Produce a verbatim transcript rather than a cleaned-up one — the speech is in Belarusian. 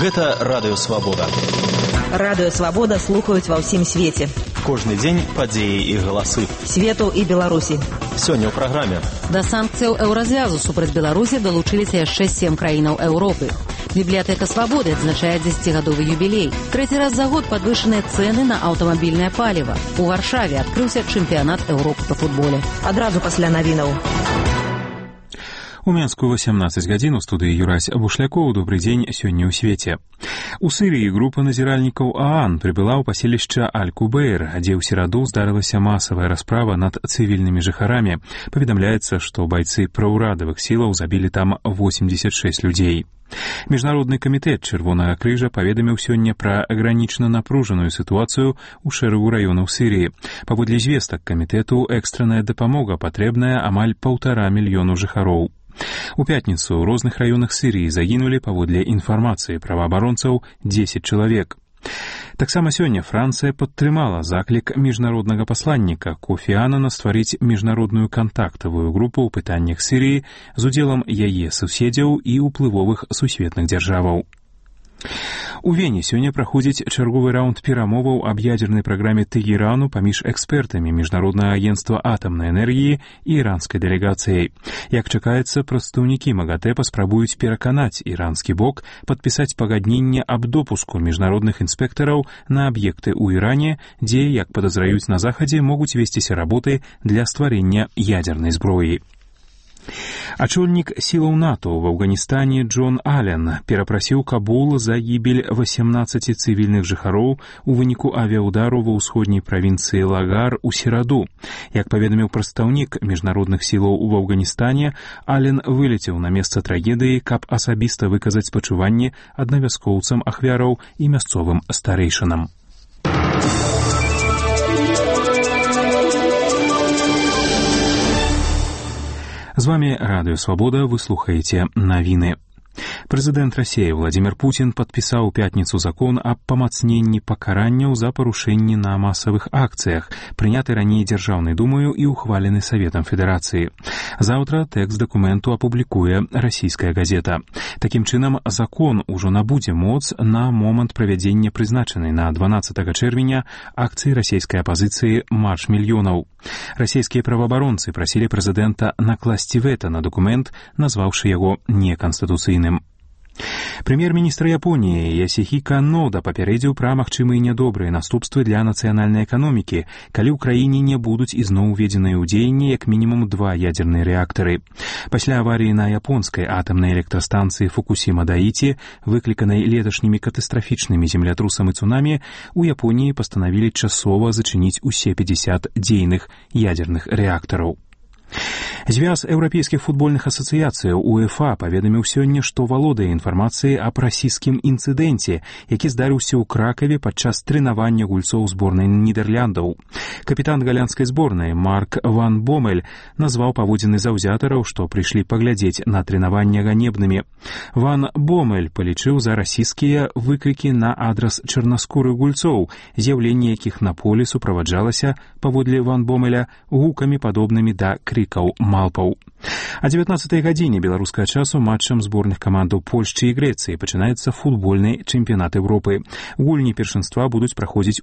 Гэта Радыё Свабода. Радыё Свабода слухаюць ва ўсім свеце. Кожны дзень падзеі і галасы свету і Беларусі. Сёння ў праграме. Да санкцыяў еўразвязу супраць Беларусі далучыліся яшчэ сем краінаў Еўропы. Бібліятэка Свабоды адзначае дзесяцігадовы юбілей. Трэці раз за год падвышаныя цэны на аўтамабільнае паліва. У Варшаве адкрыўся чэмпіянат Еўропы па футболе. Адразу пасля навінаў. У Менску васямнаццаць гадзін у студыі Юрась Бушлякоў. Добрый дзень сёння ў свеце. У Сырыі група назіральнікаў ААН прыбыла ў паселішча Аль-Кубейр, дзе ў сераду здарылася масавая расправа над цывільнымі жыхарамі. Паведамляецца, што байцы праўрадавых сілаў забілі там восемьдесят шесть людзей. Міжнародны камітэт Чырвонага крыжа паведаміў сёння пра агранічна напружаную сітуацыю ў шэрагу раёнаў Сырыі. Паводле звестак камітэту, экстранная дапамога патрэбная амаль паўтара мільёну жыхароў. У пятніцу ў розных раёнах Сырыі загінулі, паводле інфармацыі праваабаронцаў, дзесяць чалавек. Таксама сёння Францыя падтрымала заклік міжнароднага пасланніка Кофі Анана стварыць міжнародную кантактавую групу ў пытаннях Сырыі з удзелам яе суседзяў і ўплывовых сусветных дзяржаваў. У Вене сёння праходзіць чарговы раунд перамоваў аб ядзернай праграме Тэгэрану паміж экспертамі Міжнароднага агенцтва атамнай энергіі і іранскай дэлегацыяй. Як чакаецца, прадстаўнікі МАГАТЭ паспрабуюць пераканаць іранскі бок падпісаць пагадненне аб допуску міжнародных інспектараў на аб'екты ў Іране, дзе, як падазраюць на захадзе, могуць весціся работы для стварэння ядзернай зброі. Ачольнік сілаў НАТО в Афганістане Джон Аллен перапрасіў Кабул за гібель васямнаццаці цывільных жыхароў у выніку авіаудару ва ўсходняй правінцыі Лагар у сераду. Як паведаміў прадстаўнік міжнародных сілаў у Афганістане, Аллен вылецеў на месца трагедыі, каб асабіста выказаць спачуванне аднавяскоўцам ахвяраў і мясцовым старэйшынам. З вами Радыё Свабода, вы слухаеце навіны. Прэзідэнт Расіі Владзімір Пуцін падпісаў у пятніцу закон аб памацненні пакаранняў за парушэнні на масавых акцыях, прыняты раней Дзяржаўнай думаю і ухвалены Саветам Федэрацыі. Заўтра тэкст дакументу апублікуе расійская газета. Такім чынам, закон ужо набудзе моц на момант правядзення прызначанай на дванаццатага чэрвеня акцыі расійскай апазіцыі «Марш мільёнаў». Расійскія праваабаронцы прасілі прэзідэнта накласці вэта на дакумент, назваўшы яго неканстытуцыйным. Прэм'ер-міністр Японіі Ясіхіка Нода папярэдзіў пра магчымыя нядобрыя наступствы для нацыянальнай эканомікі, калі ў краіне не будуць ізноў уведзеныя ў дзеянне як мінімум два ядзерныя рэактары. Пасля аварыі на японскай атамнай электрастанцыі Фукусіма-Даіці, выкліканай леташнімі катастрафічнымі землятрусам і цунамі, у Японіі пастанавілі часова зачыніць усе пятьдесят дзейных ядзерных рэактараў. Звяз еўрапейскіх футбольных асацыяцыяў УЕФА паведаміў сёння, што валодае інфармацыяй аб расійскім інцыдэнце, які здарыўся ў Кракаве падчас трэнавання гульцоў зборнай Нідэрляндаў. Капітан галандскай зборнай Марк Ван Бомель назваў паводзіны заўзятараў, што прыйшлі паглядзець на трэнаванне ганебнымі. Ван Бомель палічыў за расійскія выкрыкі на адрас чарнаскурых гульцоў, з'яўленне якіх на полі суправаджалася, паводле Ван Бомеля, гукамі падобнымі да крыкаў малпаў. А дзевятнаццатай гадзіне беларускага часу матчам зборных камандаў Польшчы і Грэцыі пачынаецца футбольны чэмпіянат Еўропы. Гульні першынства будуць праходзіць у